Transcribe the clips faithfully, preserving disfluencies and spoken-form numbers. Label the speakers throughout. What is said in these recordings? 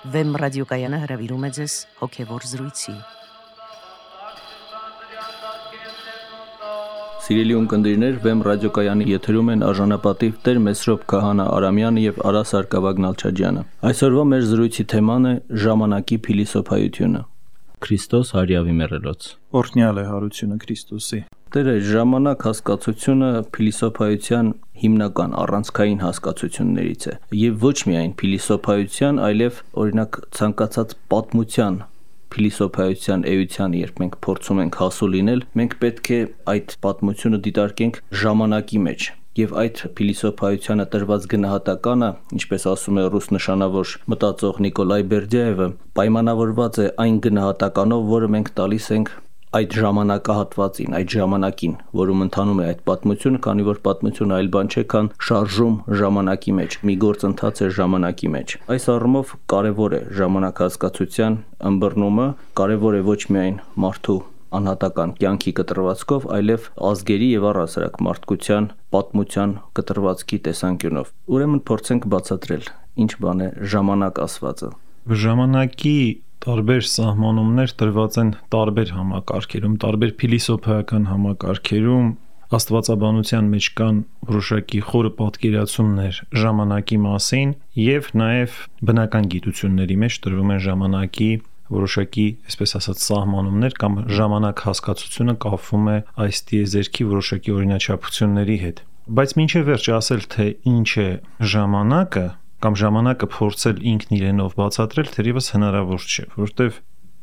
Speaker 1: Վեմ ռադիոկայանը հրավիրում է ձեզ հոգևոր զրույցի։
Speaker 2: Սիրելի ունկնդիրներ, Վեմ ռադիոկայանի եթերում են արժանապատիվ Տեր Մեսրոպ Քահանա Արամյանը եւ Արա Սարգսակյան Նալչաջյանը։ Այսօրվա մեր զրույցի թեման է ժամանակի փիլիսոփայությունը։ Քրիստոս հարյավի մեռելոց։
Speaker 3: Օրհնյալ է հարությունը Քրիստոսի։
Speaker 2: Տերը ժամանակ հասկացությունը փիլիսոփայության հիմնական առանցքային հասկացություններից է եւ ոչ միայն փիլիսոփայության, այլև օրինակ ցանկացած պատմության փիլիսոփայության էության, երբ մենք փորձում ենք հասու լինել, մենք պետք է այդ պատմությունը դիտարկենք ժամանակի մեջ։ Եվ այդ փիլիսոփայությանը տրված գնահատականը, ինչպես ասում է ռուս նշանավոր մտածող Նիկոլայ Բերդյայևը, պայմանավորված է այն գնահատականով, որը մենք տալիս ենք այդ ժամանակահատվածին, այդ ժամանակին, որում ընթանում է այդ պատմությունը, քանի որ պատմությունը այլ բան չէ, քան շարժում ժամանակի մեջ, մի գործընթաց է ժամանակի մեջ։ Այս առումով կարևոր է ժամանակ հասկացության ըմբռնումը, կարևոր է ոչ միայն մարդու անհատական կյանքի կտրվածքով, այլև ազգերի եւ առհասարակ մարդկության պատմության կտրվածքի տեսանկյունով։ Ուրեմն փորձենք բացատրել, ինչ բան է ժամանակ ասվածը։
Speaker 3: Ժամանակի տարբեր սահմանումներ տրված են տարբեր համակարգերում, տարբեր փիլիսոփայական համակարգերում, աստվածաբանության մեջ կան որոշակի խորը պատկերացումներ ժամանակի մասին եւ նաեւ բնական գիտությունների մեջ տրվում են ժամանակի որոշակի, այսպես ասած, սահմանումներ կամ ժամանակ հասկացությունը կապվում է այս տիեզերքի որոշակի օրինաչափությունների հետ։ Բայց մինչև վերջ ասել, թե ինչ է ժամանակը կամ ժամանակը փորձել ինքն իրենով բացատրել, թերևս հնարավոր չէ, որովհետև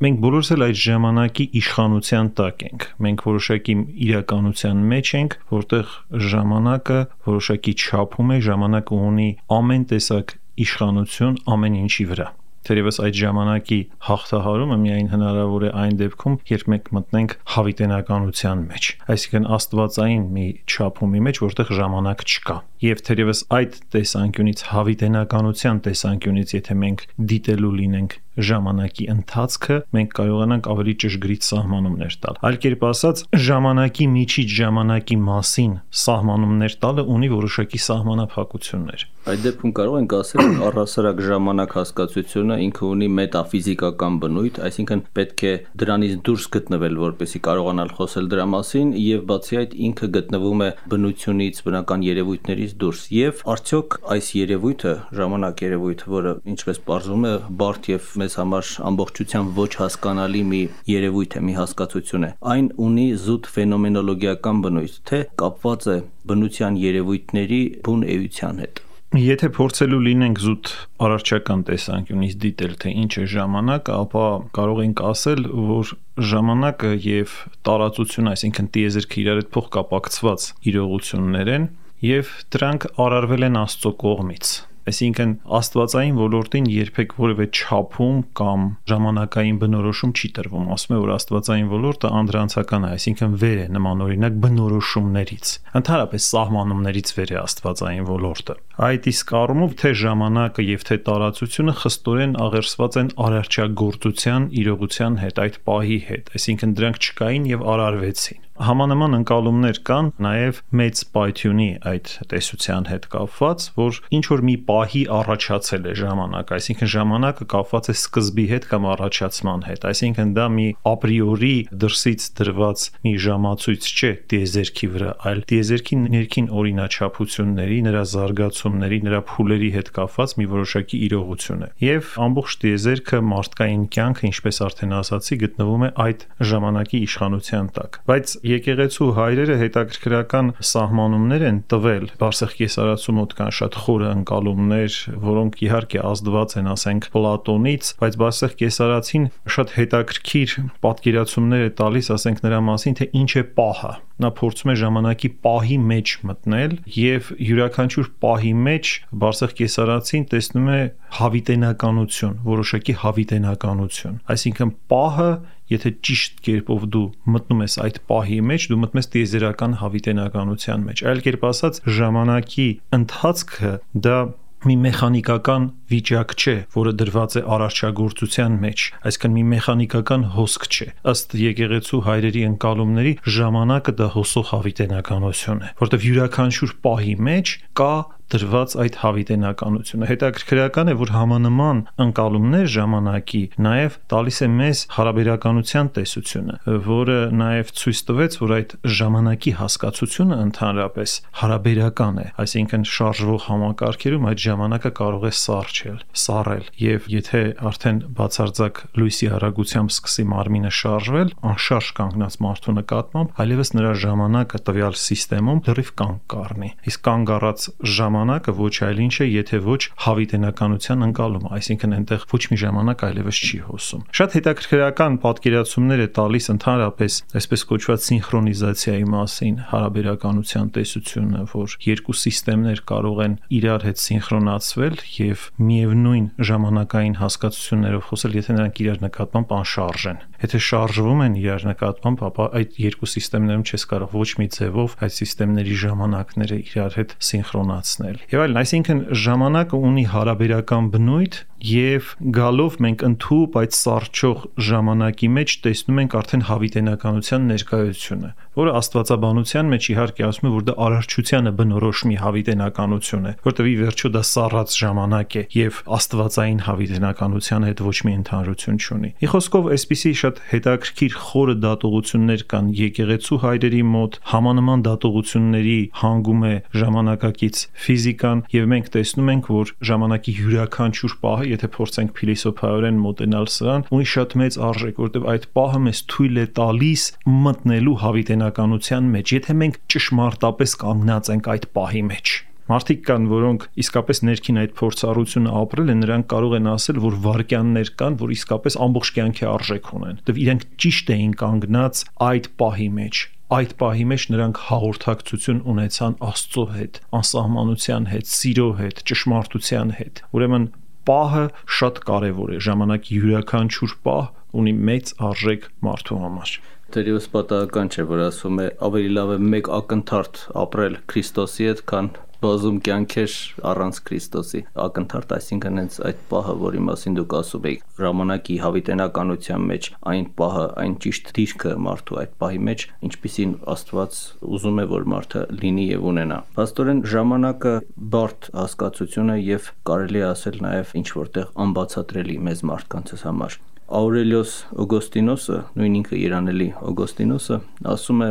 Speaker 3: մենք բոլորս էլ այդ ժամանակի իշխանության տակ ենք։ Մենք որոշակի իրականության մեջ ենք, որտեղ ժամանակը որոշակի չափում է, ժամանակը ունի ամեն տեսակ իշխանություն ամեն ինչի վրա։ Թերևս այդ ժամանակի հաղթահարումը միայն հնարավոր է այն դեպքում, երբ մենք մտնենք հավիտենականության մեջ, այսինքն աստվածային մի չափումի մեջ, որտեղ ժամանակ չկա։ Եվ թերևս այդ տեսանկյունից, հավիտենականության տեսանկյունից, եթե մենք դիտելու լինենք ժամանակի ընթացքը, մենք կարողանանք ավելի ճշգրիտ սահմանումներ տալ։ Այլ կերպ ասած, ժամանակի միջից ժամանակի մասին սահմանումներ տալը ունի որոշակի սահմանափակություններ։
Speaker 2: Այդ դեպքում կարող ենք ասել, որ առհասարակ ժամանակ հասկացությունը ինքը ունի մետաֆիզիկական բնույթ, այսինքն պետք է դրանից դուրս գտնվել, որպեսզի կարողանալ խոսել դրա մասին, եւ բացի այդ ինքը գտնվում է բնությունից, բնական երևույթներից դուրս։ Եվ արդյոք այս երևույթը, ժամանակ երևույթը, որը ինչպես պարզվում է, բարդ եւ մեզ համար ամբողջությամբ ոչ հասկանալի մի երևույթ է, մի հասկացություն է, այն ունի զուտ ֆենոմենոլոգիական բնույթ, թե կապված է բնության երևույթների բուն էության հետ։
Speaker 3: Եթե փորձելու լինենք զուտ արարչական տեսանկյունից դիտել, թե ինչ է ժամանակը, ապա կարող ենք ասել, որ ժամանակը եւ տարածությունը, այսինքն տիեզերքը իրար հետ փոխկապակցված իրողություններ են եւ դրանք արարվել են Աստծո կողմից։ Այսինքն աստվածային ոլորտին երբեք որևէ չափում կամ ժամանակային բնորոշում չի տրվում։ Ասում է, որ աստվածային ոլորտը անդրանցական է, այսինքն վեր է նմանօրինակ բնորոշումներից։ Ընդհանրապես սահմանումներից վեր է աստվածային ոլորտը։ Այդ իսկ առումով թե ժամանակը եւ թե տարածությունը խստորեն աղերսված են արարչագործության իրողության հետ, այդ պահի հետ, այսինքն դրանք չկային եւ արարվեցին։ Համանման ընկալումներ կան նաև մեծ պայթյունի այդ տեսության հետ կապված, որ ինչ որ մի պահի առաջացել է ժամանակ, այսինքն ժամանակը կապված է սկզբի հետ կամ առաջացման հետ, այսինքն դա մի ապրիորի դրսից դրված մի ժամացույց չէ տիեզերքի վրա, այլ տիեզերքի ներքին օրինաչափությունների, նրա զարգացումների, նրա փուլերի հետ կապված մի որոշակի իրողություն է։ Եվ ամբողջ տիեզերքը, մարդկային կյանքը, ինչպես արդեն ասացի, գտնվում է այդ ժամանակի իշխանության տակ։ Բայց եկեղեցու հայրերը հետաքրքրական սահմանումներ են տվել, Բարսեղ կեսարացու մոտ կան շատ խորը ընկալումներ, որոնք իհարկե ազդված են, ասենք, Պլատոնից, բայց Բարսեղ կեսարացին շատ հետաքրքիր պատկերացումներ է տալիս, ասենք, նրա մասին, թե ինչ է պահը։ Նա փորձում է ժամանակի պահի մեջ մտնել եւ յուրաքանչյուր պահի մեջ Բարսեղ կեսարացին տեսնում է հավիտենականություն, որոշակի հավիտենականություն, այսինքն պահը, եթե ճիշտ կերպով դու մտնում ես այդ պահի մեջ, դու մտնում ես տիեզերական հավիտենականության մեջ։ Այլ կերպ ասած, ժամանակի ընթացքը դա մի մեխանիկական վիճակ չէ, որը դրված է արարչագործության մեջ, այսինքն մի մեխանիկական հոսք չէ։ Ըստ եկեղեցու հայրերի ընկալումների ժամանակը դա հոսող հավիտենականություն է, որտեղ յուրաքանչյուր պահի մեջ կա դրված այդ հավիտենականությունը։ Հետաքրքրական է, որ համանման ընկալումներ ժամանակի նաև տալիս է մեզ հարաբերականության տեսությունը, որը նաև ցույց տվեց, որ այդ ժամանակի հասկացությունը ընդհանրապես հարաբերական է, այսինքն շարժվող համակարգերում այդ ժամանակը կարող է սառչել, սառել, եւ եթե արդեն բացարձակ լույսի արագությամբ սկսի մարմինը շարժվել, անշարժ կանգնած մարդու նկատմամբ, այլևս նրա ժամանակը տվյալ համակարգում լրիվ կանգ կառնի։ Իսկ կանգ առած ժամանակը ոչ այլ ինչ է, եթե ոչ հավիտենականության ընկալումը, այսինքն այնտեղ ոչ մի ժամանակ այլևս չի հոսում։ Շատ հետաքրքրական պատկերացումներ է տալիս ընդհանրապես այսպես կոչված սինխրոնիզացիայի մասին հարաբերականության տեսությունը, որ երկու համակարգեր կարող են իրար հետ սինխրոնացվել եւ միևնույն ժամանակային հասկացություններով խոսել, եթե նրանք իրար նկատմամբ անշարժ են։ Եթե շարժվում են իրար նկատմամբ, ապա այդ երկու համակարգերում չես կարող ոչ մի ձևով այդ համակարգերի ժամանակները իրար հետ սինխրոնացնել։ Եվ այլն, այսինքն ժամանակը ունի հարաբերական բնույթ եւ գալով մենք ընդհուպ այդ սառչող ժամանակի մեջ տեսնում ենք արդեն հավիտենականության ներկայությունը, որը աստվածաբանության մեջ իհարկե ասում է, որ դա արարչությանը բնորոշ մի հավիտենականություն է, որտեղ ի վերջո դա սառած ժամանակ է եւ աստվածային հավիտենականության հետ ոչ մի ընդհանրություն չունի։ Ի խոսքով, այսպիսի շատ հետաքրքիր խորը դատողություններ կան եկեղեցու հայրերի մոտ, համանման դատողությունների հանգում է ժամանակակից ֆիզիկան եւ մենք տեսնում ենք, որ ժամանակի յուրաքանչյուր պահը, եթե փորձենք փիլիսոփայորեն մոտենալ սրան, ունի շատ մեծ արժեք, որտեղ այդ պահը մեզ թույլ է տալիս մտնելու հավիտենականության մեջ, եթե մենք ճշմարտապես կանգնած ենք այդ պահի մեջ։ Մարդիկ կան, որոնք իսկապես ներքին այդ փորձառությունը ապրել են, նրանք կարող են ասել, որ վարքյաններ կան, որ իսկապես ամբողջ կյանքի արժեք ունեն։ Դեռ իրենք ճիշտ էին կանգնած այդ պահի մեջ։ Այդ պահի մեջ նրանք հաղորդակցություն ունեցան Աստծո հետ, անսահմանության հետ, սիրո հետ, ճշմարտության հետ։ Ուրեմն պահը շատ կարևոր է, ժամանակի յուրաքանչյուր պահ ունի մեծ արժեք մարդու համար։
Speaker 2: Դերևս պատահական չէ, որ ասում է ավելի լավ է մեկ ակնթարթ ապրել Քրիստոսի հետ, քան բազում կյանքեր առանց Քրիստոսի։ Ակնթարթ, այսինքն հենց այդ պահը, որի մասին դուք ասում եք, ժամանակի հավիտենականության մեջ այն պահը, այն ճիշտ դիրքը մարդու այդ պահի մեջ, ինչպիսին Աստված ուզում է, որ մարդը լինի եւ ունենա։ Փաստորեն ժամանակը բարդ հասկացություն է եւ կարելի է ասել նաեւ ինչ որտեղ անբացատրելի մեզ մարդկանցս համար։ Աուրելիոս Օգոստինոսը, նույն ինքը երանելի Օգոստինոսը, ասում է.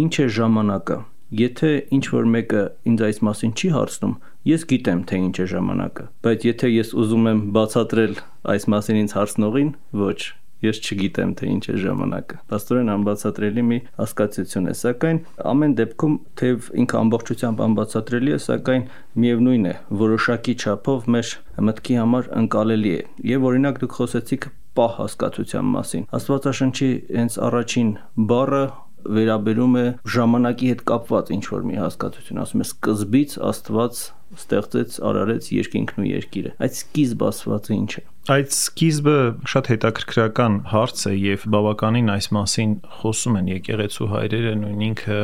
Speaker 2: «Ինչ է ժամանակը։ Եթե ինչ-որ մեկը ինձ այս մասին չի հարցնում, ես գիտեմ, թե ինչ է ժամանակը, բայց եթե ես ուզում եմ բացատրել այս մասին ինձ հարցնողին, ոչ, ես չգիտեմ, թե ինչ է ժամանակը»։ Փաստորեն անբացատրելի մի հասկացություն է, սակայն ամեն դեպքում թեև ինքը ամբողջությամբ անբացատրելի է, սակայն միևնույն է, որոշակի չափով մեր մտքի համար ընկալելի է։ Եվ օրինակ դուք խոսեցիք պահ հասկացության մասին։ Աստվածաշնչի հենց առաջին բառը վերաբերում է ժամանակի հետ կապված ինչ-որ մի հասկացություն, ասում է սկզբից Աստված ստեղծեց, արարեց երկինքն ու երկիրը։ Այդ սկիզբ ասվածը ինչ է։
Speaker 3: Այդ սկիզբը շատ հետաքրքրական հարց է եւ բավականին այս մասին խոսում են եկեղեցու հայրերը, նույն ինքը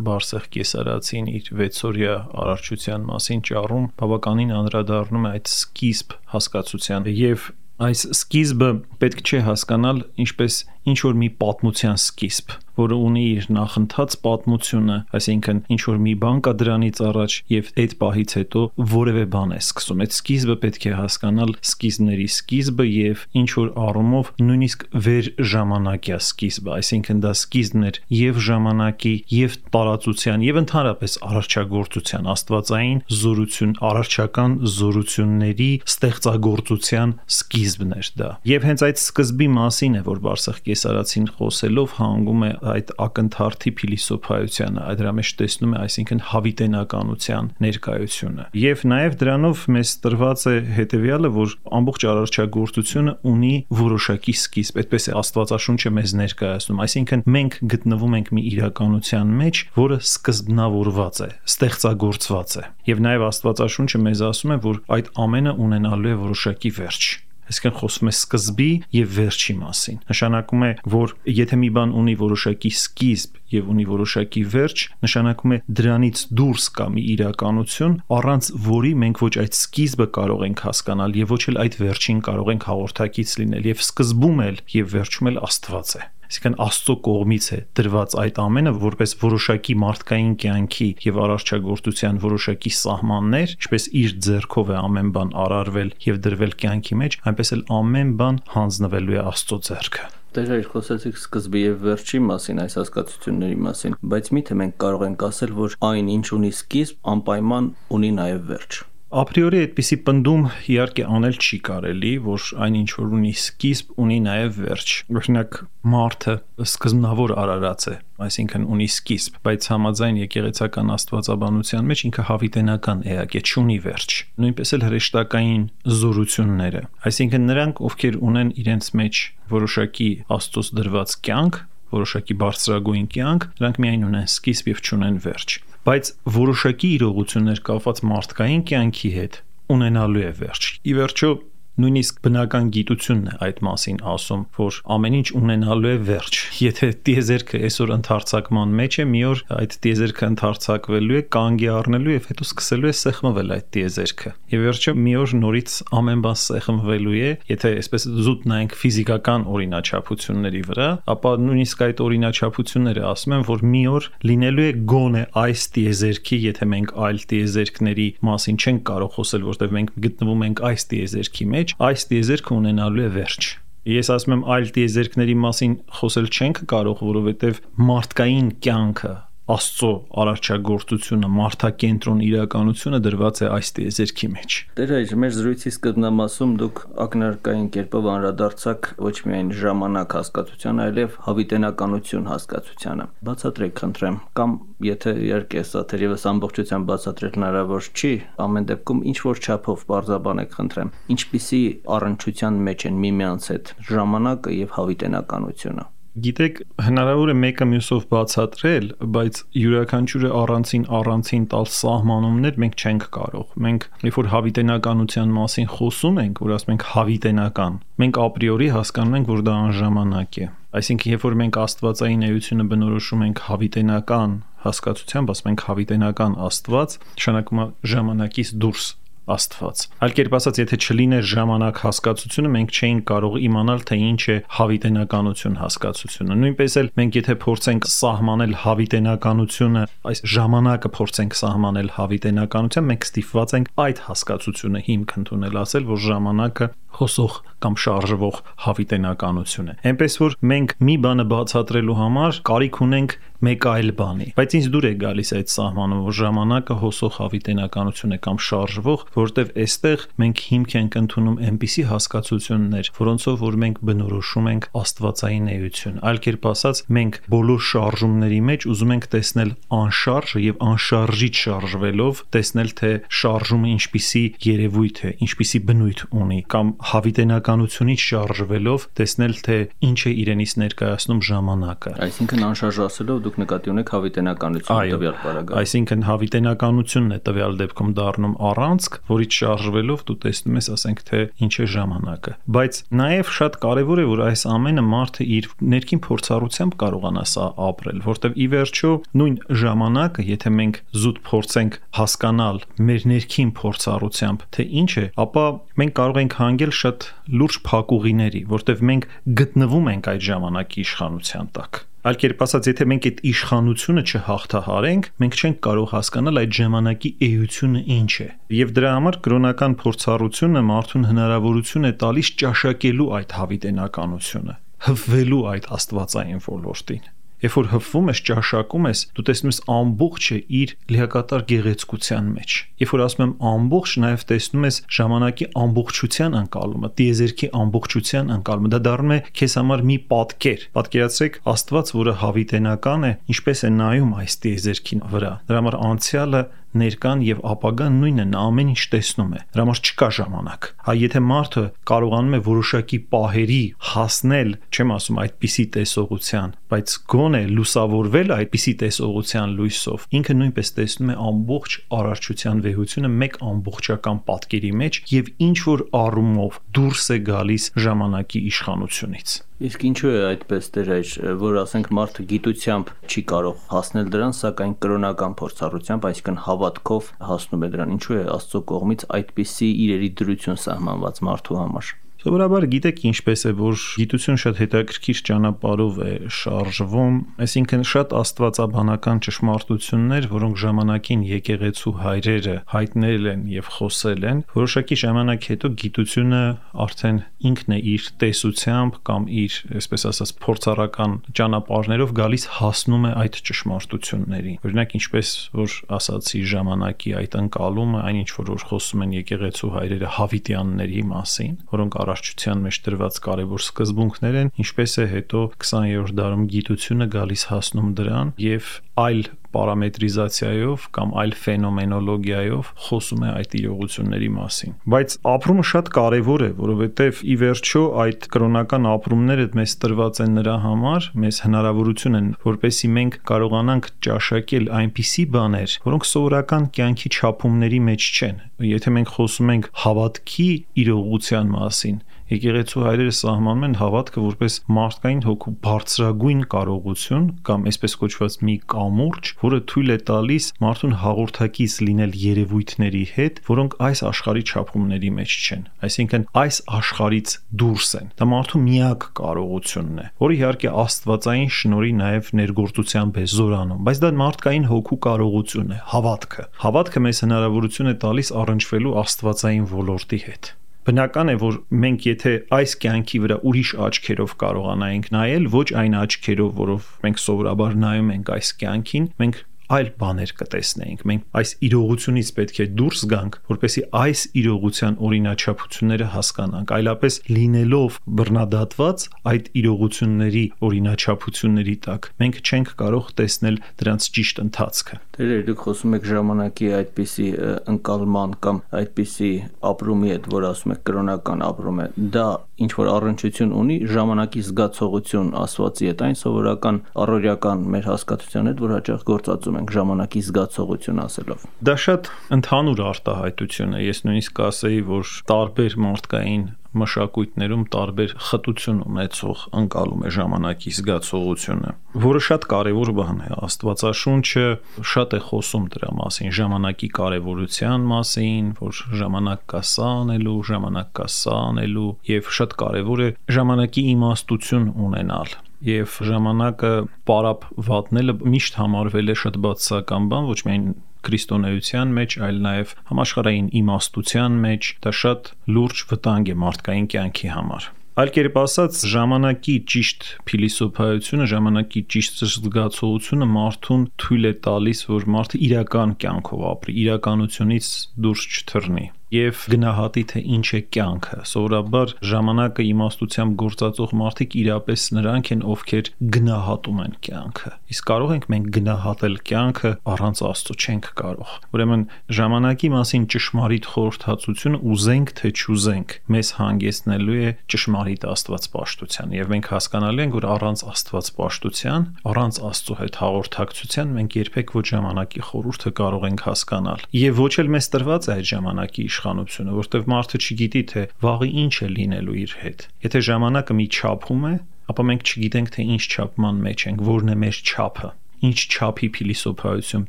Speaker 3: Բարսեղ Կեսարացին իր վեցօրյա արարչության մասին ճառում բավականին անդրադառնում է այդ սկիզբ հասկացության եւ այս սկիզբը պետք չէ հասկանալ ինչպես ինչ որ մի պատմության սկիզբ, որը ունի իր նախընթաց պատմությունը, այսինքն ինչ որ մի բան կա դրանից առաջ եւ այդ պահից հետո որևէ բան է սկսում։ Այդ սկիզբը պետք է հասկանալ սկիզբների սկիզբը եւ ինչ որ առումով նույնիսկ վեր ժամանակյա սկիզբը, այսինքն դա սկիզբն էր եւ ժամանակի եւ տարածության եւ ընդհանրապես արարչագործության, աստվածային զորություն, արարչական զորությունների ստեղծագործության սկիզբն էր դա։ Եվ հենց այդ սկզբի մասին է, որ Բարսեղ Կեսարացին խոսելով հանգում է այդ ակնթարթի փիլիսոփայությանը, այդ դրա մեջ տեսնում է, այսինքն հավիտենականության ներկայությունը։ Եվ նաև դրանով մեզ տրված է հետևյալը, որ ամբողջ արարչագործությունը ունի որոշակի սկիզբ, այդպես է Աստվածաշունչը մեզ ներկայացնում, այսինքն մենք գտնվում ենք մի իրականության մեջ, որը սկզբնավորված է, ստեղծագործված է։ Եվ նաև Աստվածաշունչը մեզ ասում է, որ այդ ամենը ունենալու է որոշակի վերջ։ Այսինքն խոսվում է սկզբի եւ վերջի մասին։ Նշանակում է, որ եթե մի բան ունի որոշակի սկիզբ եւ ունի որոշակի վերջ, նշանակում է դրանից դուրս կա մի իրականություն, առանց որի մենք ոչ այդ սկիզբը կարող ենք հասկանալ եւ ոչ էլ այդ վերջին կարող ենք հաղորդակից լինել, եւ սկզբում էլ եւ վերջում էլ Աստված է։ Այսինքն Աստծո կողմից է դրված այդ ամենը որպես որոշակի մարդկային կյանքի եւ արարչագործության որոշակի սահմաններ, ինչպես իր ձեռքով է ամեն բան արարվել եւ դրվել կյանքի մեջ, այնպես էլ ամեն բան հանձնվելու է Աստծո ձեռքը։
Speaker 2: Դեր այլ խոսեցիք սկզբի եւ վերջի մասին, այս հասկացությունների մասին, բայց միթե մենք կարող ենք ասել, որ այն ինչ ունի սկիզբ, անպայման ունի նաեւ վերջ։
Speaker 3: Ապրիորի այդպիսի պնդում իհարկե անել չի կարելի, որ այն ինչ որ ունի սկիզբ, ունի նաև վերջ։ Օրինակ մարդը սկզբնավոր արարած է, այսինքն ունի սկիզբ, բայց համաձայն եկեղեցական աստվածաբանության մեջ ինքը հավիտենական էակ է, չունի վերջ։ Նույնպես էլ հրեշտակային զորությունները, այսինքն նրանք, ովքեր ունեն իրենց մեջ որոշակի Աստծոց դրված կյանք, որոշակի բարձրագույն կյանք, նրանք միայն ունեն սկիզբ եւ չունեն վերջ։ Բայց որոշակի իրողություններ կապված մարդկային կյանքի հետ ունենալու է վերջ։ Ի վերջո նույնիսկ բնական գիտությունն է այդ մասին ասում, որ ամեն ինչ ունենալու է վերջ։ Եթե տիեզերքը այսօր ընդարձակման մեջ է, մի օր այդ տիեզերքը ընդարձակվելու է, կանգի առնելու եւ հետո սկսելու է սեղմվել այդ տիեզերքը։ Եվ վերջը մի օր նորից ամեն բան սեղմվելու է, եթե այսպես զուտ նայենք ֆիզիկական օրինաչափությունների վրա, ապա նույնիսկ այդ օրինաչափությունները ասում են, որ մի օր լինելու է գոնե այս տիեզերքի, եթե մենք այլ տիեզերքների մասին չենք կարող խոսել, որտեղ մենք գտնվում ենք այս տիեզերքի մեջ, այս տիեզերքը ունենալու է վերջ։ Ես ասում եմ այլ տիեզերքների մասին խոսել չենք կարող, որովհետև մարդկային կյանքը, Աստծո արարչագործությունը, մարդակենտրոն իրականությունը դրված է այս տիեզերքի մեջ։
Speaker 2: Դեր այժ մեր զրույցի սկզբնամասում դուք ակնարկային կերպով անդրադարձաք ոչ միայն ժամանակ հասկացության, այլև հավիտենականություն հասկացությանը։ Բացատրեք, խնդրեմ, կամ եթե իհարկե սա թերևս ամբողջությամբ բացատրել հնարավոր չի, ամեն դեպքում ինչ որ չափով բարձրաբանեք, խնդրեմ, ինչպիսի առնչության մեջ են միմյանց հետ ժամանակը եւ հավիտենականությունը։
Speaker 3: Գիտեք, հնարավոր է մեկը մյուսով բացատրել, բայց յուրաքանչյուրը առանցին առանցին տալ սահմանումներ մենք չենք կարող։ Մենք երբ որ հավիտենականության մասին խոսում ենք, որ ասում ենք հավիտենական, մենք ապրիորի հասկանում ենք, որ դա անժամանակ է։ Այսինքն, երբ որ մենք աստվածային էությունը բնորոշում ենք հավիտենական հասկացությամբ, ասում ենք հավիտենական Աստված, նշանակում է ժամանակից դուրս Աստված։ Այլ կերպ ասած, եթե չլիներ ժամանակ հասկացությունը, մենք չէինք կարող իմանալ, թե ինչ է հավիտենականություն հասկացությունը։ Նույնպես էլ մենք եթե փորձենք սահմանել հավիտենականությունը, այս ժամանակը փորձենք սահմանել հավիտենականությամբ, մենք ստիպված ենք այդ հասկացությունը հիմք ընդունել, ասել, որ ժամանակը խոսող կամ շարժվող հավիտենականություն է։ Այնպես որ մենք մի բանը բացատրելու համար կարիք ունենք մեկ այլ բանի, բայց ինձ դուր է գալիս այդ սահմանը, որ ժամանակը հոսող հավիտենականություն է կամ շարժվող, որտեվ այստեղ մենք հիմք ենք ընդունում այնպիսի հասկացություններ, որոնցով որ մենք բնորոշում ենք աստվածային էություն։ Այլ կերպ ասած, մենք բոլոր շարժումների մեջ ուզում ենք տեսնել անշարժը եւ անշարժից շարժվելով տեսնել, թե շարժումը ինչպիսի երևույթ է, ինչպիսի բնույթ ունի, կամ հավիտենականությունից շարժվելով տեսնել, թե ինչ է իրենից ներկայացնում ժամանակը։
Speaker 2: Այսինքն անշարժ ասելով դուք նկատի ունեք հավիտենականությունը տվյալ պարագայում։
Speaker 3: Այսինքն հավիտենականությունն է տվյալ դեպքում դառնում առանցք, որից շարժվելով դու տեսնում ես, ասենք, թե ինչ է ժամանակը։ Բայց նաև շատ կարևոր է, որ այս ամենը մարդը իր ներքին փորձառությամբ կարողանա սա ապրել, որտեղ ի վերջո նույն ժամանակը, եթե մենք զուտ փորձենք հասկանալ մեր ներքին փորձառությամբ, թե ինչ է, ապա մենք կարող ենք հանգել շատ լուրջ փակուղիների, որտեղ մենք գտնվում ենք այդ ժամանակի իշխանության տակ։ Այլ կերպ ասած, եթե մենք այդ իշխանությունը չհաղթահարենք, մենք չենք կարող հասկանալ այդ ժամանակի էությունը ինչ է։ Եվ դրա համար կրոնական փորձառությունը մարդուն հնարավորություն է տալիս ճաշակելու այդ հավիտենականությունը, հվվելու այդ աստվածային ոլորտին։ Երբ որ հպվում ես, ճաշակում ես, դու տեսնում ես ամբողջը իր լիակատար գեղեցկության մեջ։ Երբ որ ասում եմ ամբողջ, նաև տեսնում ես ժամանակի ամբողջության անցալումը, տիեզերքի ամբողջության անցալումը։ Դա դառնում է քեզ համար մի պատկեր։ Պատկերացրեք Աստված, որը հավիտենական է, ինչպես է նայում այս տիեզերքին վրա։ Դրա համար անցյալը ներկան եւ ապագան նույնն է, նա ամեն ինչ տեսնում է։ Դրա համար չկա ժամանակ։ Հա եթե մարդը կարողանում է որոշակի պահերի հասնել, չեմ ասում այդպիսի տեսողության, բայց գոնե լուսավորվել այդպիսի տեսողության լույսով, ինքը նույնպես տեսնում է ամբողջ արարչության վեհությունը մեկ ամբողջական պատկերի մեջ եւ ինչ որ առումով դուրս է գալիս ժամանակի իշխանությունից։
Speaker 2: Իսկ ինչու է այդպես դեր այժ, որ ասենք մարդը գիտությամբ չի կարող հասնել դրան, սակայն կրոնական փորձառությամբ, այսինքն հավատքով հասնում է դրան։ Ինչու է Աստծո կողմից այդպիսի իրերի դրություն սահմանված մարդու համար։
Speaker 3: Սովորաբար գիտեք ինչպես է, որ գիտություն շատ հետաքրքիր ճանապարհով է շարժվում, այսինքն շատ աստվածաբանական ճշմարտություններ, որոնք ժամանակին եկեղեցու հայրերը հայտնել են եւ խոսել են, որոշակի ժամանակ հետո գիտությունը արդեն ինքն է իր տեսությամբ կամ իր, այսպես ասած, փորձառական ճանապարհներով գալիս հասնում է այդ ճշմարտություններին։ Օրինակ ինչպես որ ասացի ժամանակի այդ ընկալումը, այն ինչ որ խոսում են եկեղեցու հայրերը հավիտյանների մասին, որոնք արարչության մեջ դրված կարևոր սկզբունքներ են, ինչպես է հետո քսաներորդ դարում գիտությունը գալիս հասնում դրան եւ այլ պարամետրիզացիայով կամ այլ ֆենոմենոլոգիայով խոսում է այդ իրողությունների մասին։ Բայց ապրումը շատ կարևոր է, որովհետև ի վերջո այդ կրոնական ապրումները մեզ տրված են նրա համար, մեզ հնարավորություն են, որպեսզի մենք կարողանանք ճաշակել այնպիսի բաներ, որոնք սովորական կյանքի չափումների մեջ չեն։ Եթե մենք խոսում ենք հավատքի իրողության մասին, եկեղեցու հայրերը սահմանում են հավատքը որպես մարդկային հոգու բարձրագույն կարողություն կամ այսպես կոչված մի կամուրջ, որը թույլ է տալիս մարդուն հաղորդակից լինել երևույթների հետ, որոնք այս աշխարհի չափումների մեջ չեն, այսինքն այս աշխարհից դուրս են։ Դա մարդու միակ կարողությունն է, որը իհարկե աստվածային շնորհի նաև ներգործությամբ է զորանում, բայց դա մարդկային հոգու կարողություն է, հավատքը։ Հավատքը մեզ հնարավորություն է տալիս առնչվելու աստվածային ոլորտի հետ։ Բնական է, որ մենք եթե այս կյանքի վրա ուրիշ աչքերով կարողանայինք նայել, ոչ այն աչքերով, որով մենք սովորաբար նայում ենք այս կյանքին, մենք այլ բաներ կտեսնեինք։ Մենք այս իրողությունից պետք է դուրս գանք, որպեսզի այս իրողության օրինաչափությունները հասկանանք, այլապես լինելով բռնադատված այդ իրողությունների օրինաչափությունների տակ, մենք չենք կարող տեսնել դրանց ճիշտ ընթացքը։
Speaker 2: Դեր դուք խոսում եք ժամանակի այդպիսի ընկալման կամ այդպիսի ապրումի հետ, որ ասում եք կրոնական ապրում է, դա ինչ որ առնչություն ունի ժամանակի զգացողություն Աստվածի հետ, այն սովորական առօրյական մեր հասկացության հետ, որ հաճախ գործածում ենք ժամանակի զգացողություն ասելով։
Speaker 3: Դա շատ ընդհանուր արտահայտություն է, ես նույնիսկ ասեի, որ տարբեր մարդկային մշակույթներում տարբեր խտություն ունեցող ընկալում է ժամանակի զգացողությունը, որը շատ կարևոր բան է։ Աստվածաշունչը շատ է խոսում դրա մասին, ժամանակի կարևորության մասին, որ ժամանակ կա սա անելու, ժամանակ կա սա անելու, եւ շատ կարևոր է ժամանակի իմաստություն ունենալ։ Եվ ժամանակը պարապ վատնելը միշտ համարվել է շատ բացասական բան, ոչ միայն քրիստոնեության մեջ, այլ նաև համաշխարհային իմաստության մեջ, դա շատ լուրջ վտանգ է մարդկային կյանքի համար։ Այլ կերպ ասած, ժամանակի ճիշտ փիլիսոփայությունը, ժամանակի ճիշտ զգացողությունը մարդուն թույլ է տալիս, որ մարդը իրական կյանքով ապրի, իրականությունից դուրս չթռնի եւ գնահատի թե ինչ է կյանքը։ Սովորաբար ժամանակը իմաստությամբ գործածող մարդիկ իրապես նրանք են, ովքեր գնահատում են կյանքը։ Իսկ կարող ենք մենք գնահատել կյանքը առանց Աստծո չենք կարող։ Ուրեմն ժամանակի մասին ճշմարիտ խորհրդածությունը ուզենք թե չուզենք, մեզ հանգեցնելու է ճշմարիտ աստվածպաշտության եւ մենք հասկանալու ենք, որ առանց աստվածպաշտության, առանց Աստծո հետ հաղորդակցության մենք երբեք ոչ ժամանակի խորհուրդը կարող ենք հասկանալ եւ ոչ էլ մեզ տրված է այդ ժամանակի իշխանությունը, որտեղ մարդը չգիտի թե վաղը ինչ է լինելու իր հետ։ Եթե ժամանակը մի չափում է, ապա մենք չգիտենք թե ինչ չափման մեջ ենք, որն է մեր չափը, ինչ չափի փիլիսոփայություն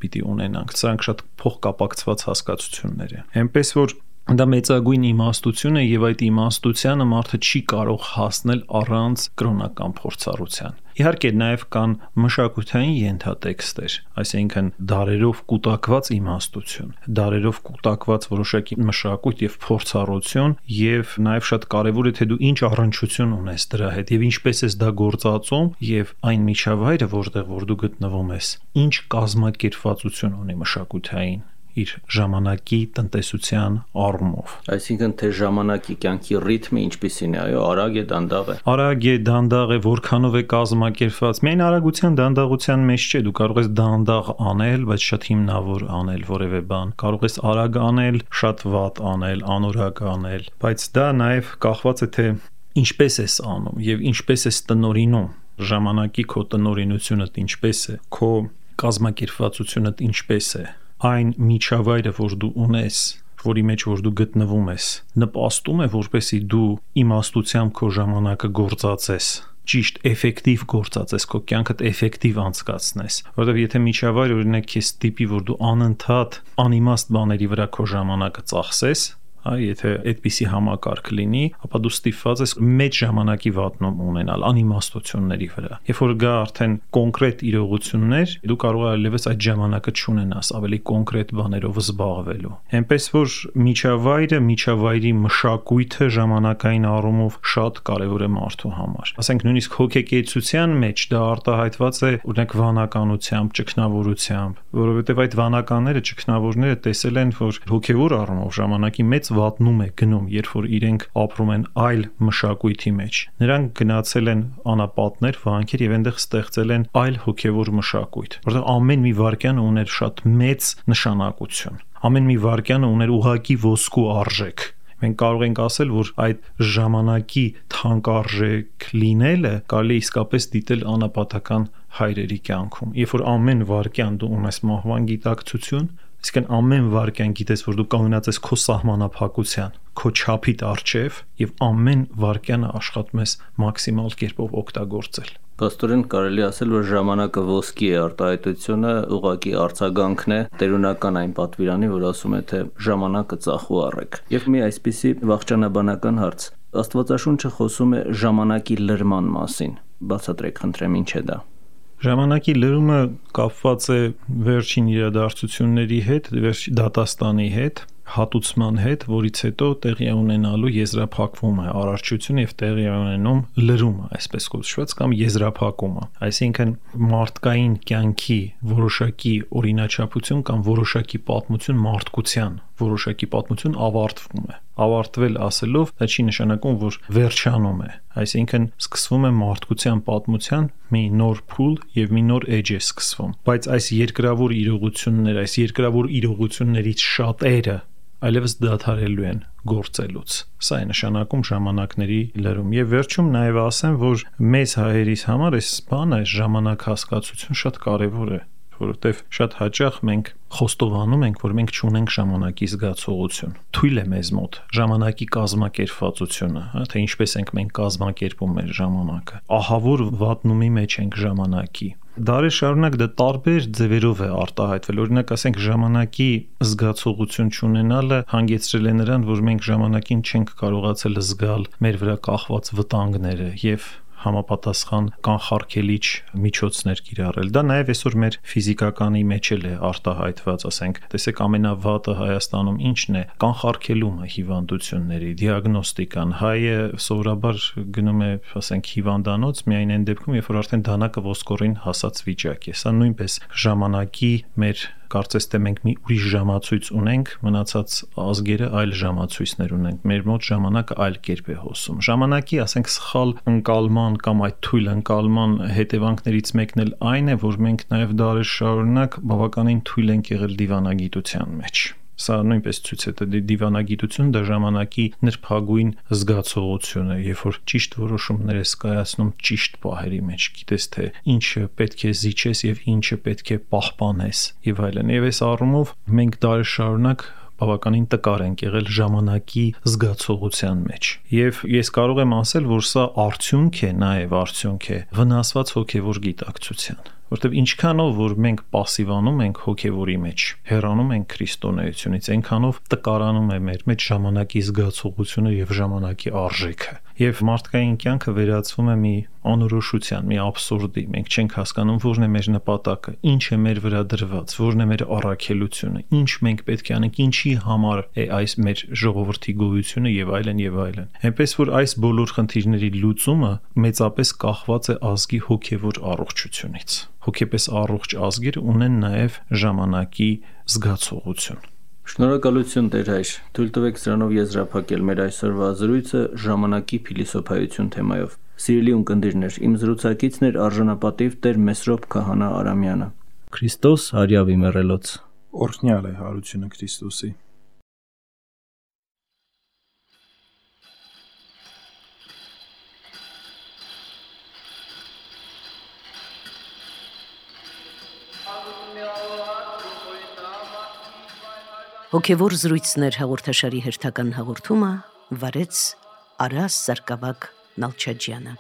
Speaker 3: պիտի ունենանք։ Սրանք շատ փոխկապակցված հասկացություններ են։ Այնպես որ դա մեծագույն իմաստություն է եւ այդ իմաստությանը մարդը չի կարող հասնել առանց կրոնական փորձառության։ Իհարկե նաև կան մշակութային ենթատեքստեր, այսինքն դարերով կուտակված իմաստություն, դարերով կուտակված որոշակի մշակույթ եւ փորձառություն եւ նաև շատ կարեւոր է թե դու ինչ առնչություն ունես դրա հետ եւ ինչպես ես դա գործածում եւ այն միջավայրը, որտեղ որ դու գտնվում ես, ինչ կազմակերպվածություն ունի մշակութային իր ժամանակի տնտեսության առումով։
Speaker 2: Այսինքն թե ժամանակի կյանքի ռիթմը ինչպիսին է, այո, արագ է, դանդաղ է։
Speaker 3: Արագ է, դանդաղ է, որքանով է կազմակերպված։ Միայն արագության, դանդաղության մեջ չէ, դու կարող ես դանդաղ անել, բայց շատ հիմնավոր անել որևէ բան։ Կարող ես արագ անել, շատ վատ անել, անորակ անել, բայց դա նաև կախված է թե ինչպես ես անում եւ ինչպես ես տնորինում։ Ժամանակի քո տնորինությունդ ինչպես է, քո կազմակերպվածությունդ ինչպես է, այն միջավայրը, որ դու ունես, որի մեջ որ դու գտնվում ես, նպաստում է, որպեսզի դու իմաստությամբ քո ժամանակը գործածես, ճիշտ էֆեկտիվ գործածես, քո կյանքդ էֆեկտիվ անցկացնես, որովհետև եթե միջավայր օրինակ քեզ տիպի, որ դու անընդհատ անիմաստ բաների վրա քո ժամանակը ծախսես, եթե այդպիսի համակարգ լինի, ապա դու ստիպված ես մեծ ժամանակի վատնում ունենալ անիմաստությունների վրա։ Երբ որ գա արդեն կոնկրետ իրողություններ, դու կարող ես այլևս այդ ժամանակը չունենաս, ավելի կոնկրետ բաներով զբաղվելու։ Այնպես որ միջավայրը, միջավայրի մշակույթը ժամանակային առումով շատ կարևոր է մարդու համար։ Ասենք նույնիսկ հոգեկեցության մեջ դա արտահայտված է օրինակ վանականությամբ, ճգնավորությամբ, որովհետև այդ վանականները, ճգնավորները տեսել են, որ հոգևոր առումով ժամանակի մեծ վատնում է գնում, երբ որ իրենք ապրում են այլ մշակույթի մեջ։ Նրանք գնացել են անապատներ, վանքեր եւ այնտեղ ստեղծել են այլ հոգեվոր մշակույթ, որտեղ ամեն մի վարքյանը ուներ շատ մեծ նշանակություն։ Ամեն մի վարքյանը ուներ ուղղակի ոսկու արժեք։ Մենք կարող ենք ասել, որ այդ ժամանակի թանկարժեք լինելը կարելի է իսկապես դիտել անապատական հայրերի կյանքում։ Երբ որ ամեն վարքյան դու ունես մահվան գիտակցություն, Իսկն ամեն վարքյան գիտես, որ դու կանգնած ես քո սահմանափակության, քո չափիդ առջև եւ ամեն վարքյանը աշխատում ես մաքսիմալ կերպով օգտագործել։
Speaker 2: Պաստորեն կարելի ասել, որ ժամանակը ոսկի է, արտահայտությունը ուղղակի արձագանքն է տերունական այն պատվիրանի, որ ասում է, թե ժամանակը ծախու առեք։ Եվ մի այսպիսի վաղճանաբանական հարց. Աստվածաշունչը խոսում է ժամանակի լրման մասին։ Բացատրեք, խնդրեմ, ինչ է դա։
Speaker 3: Ժամանակի լրումը կապված է վերջին իրադարձությունների հետ, վերջին դատաստանի հետ, հատուցման հետ, որից հետո տեղի ունենալու եզրափակվում է արարչությունը եւ տեղի ունենում լրումը, այսպես կոչված, կամ եզրափակումը։ Այսինքն մարդկային կյանքի որոշակի օրինաչափություն կամ որոշակի պատմություն մարդկության, որոշակի պատմություն ավարտվում է։ Ավարտվել ասելով, դա չի նշանակում, որ վերջանում է։ Այսինքն սկսվում է մարդկության պատմության մի նոր փուլ եւ մի նոր էջ է սկսվում։ Բայց այս երկրավոր իրողությունները, այս երկրավոր իրողություններից շատերը այլևս դադարելու են գործելուց։ Սա է նշանակում ժամանակների լրում։ Եվ վերջում նաև ասեմ, որ մեզ հայերիս համար այս բանը, այս ժամանակ հասկացություն շատ կարևոր է, որովհետև շատ հաճախ մենք խոստովանում ենք, որ մենք չունենք ժամանակի զգացողություն։ Թույլ է մեզ մոտ ժամանակի կազմակերպվածությունը, հա, թե ինչպես ենք մենք կազմակերպում մեր ժամանակը։ Ահավոր վատնումի մեջ ենք ժամանակի։ Դարեր շարունակ դա տարբեր ձևերով է արտահայտվել։ Օրինակ, ասենք, ժամանակի զգացողություն չունենալը հանգեցրել է նրան, որ մենք ժամանակին չենք կարողացել զգալ մեր վրա կախված վտանգները եւ համապատասխան կանխարգելիչ միջոցներ կիրառել։ Դա նաև այսօր մեր ֆիզիկականի մեջ էլ է արտահայտված, ասենք, տեսեք ամենավատը Հայաստանում ինչն է, կանխարգելումը հիվանդությունների, դիագնոստիկան։ Հայը սովորաբար գնում է, ասենք, հիվանդանոց միայն այն դեպքում, երբ որ արդեն դանակը ոսկորին հասած վիճակ է։ Սա նույնպես ժամանակի մեր կարծես թե մենք մի ուրիշ ժամացույց ունենք, մնացած ազգերը այլ ժամացույցներ ունենք։ Մեր մոտ ժամանակը այլ կերպ է հոսում։ Ժամանակի, ասենք, սխալ ընկալման կամ այդ թույլ ընկալման հետևանքներից մեկն էլ այն է, որ մենք նաև դարեր շարունակ բավականին թույլ ենք եղել դիվանագիտության մեջ։ Սա նույնպես ցույց է տալիս դիվանագիտություն դա ժամանակի նրբագույն զգացողություն է, երբ որ ճիշտ որոշումներ ես կայացնում ճիշտ պահերի մեջ, գիտես թե ինչը պետք է զիջես եւ ինչը պետք է պահպանես եւ այլն։ Եվ այս առումով մենք դարեր շարունակ բավականին տկար ենք եղել ժամանակի զգացողության մեջ։ Եվ ես կարող եմ ասել, որ սա արդյունք է, նաև արդյունք է վնասված հոգևոր գիտակցության, որտեղ ինչքանով որ մենք пассивանում ենք հոգևորի մեջ, հեռանում ենք քրիստոնեությունից, այնքանով տկարանում է մեր մեջ ժամանակի զգացողությունը եւ ժամանակի արժեքը։ Եվ մարդկային կյանքը վերածվում է մի անորոշության, մի աբսուրդի։ Մենք չենք հասկանում որն է մեր նպատակը, ինչ է մեր վրա դրված, որն է մեր առաքելությունը, ինչ մենք պետք է անենք, ինչի համար է այս մեր ժողովրդի գոյությունը եւ այլն եւ այլն։ Այնպես որ այս բոլոր խնդիրների լուծումը մեծապես կախված է ազգի հոգևոր առողջությունից։ հոգեպես առողջ ազգեր ունեն նաև ժամանակի զգացողություն։
Speaker 2: Շնորհակալություն Տեր հայր, թույլ տվեք սրանով եզրափակել մեր այսօրվա զրույցը ժամանակի փիլիսոփայություն թեմայով։ Սիրելի ունկնդիրներ, իմ զրուցակիցն էր արժանապատիվ Տեր Մեսրոպ Քահանա Արամյանը։ Քրիստոս հարյավի մեռելոց։
Speaker 3: Օրհնյալ է հարությունը Քրիստոսի։
Speaker 1: Հոգևոր զրույցներ հաղորդաշարի հերթական հաղորդումը վարեց Արաս Սարգսակ Նալչաջյանը։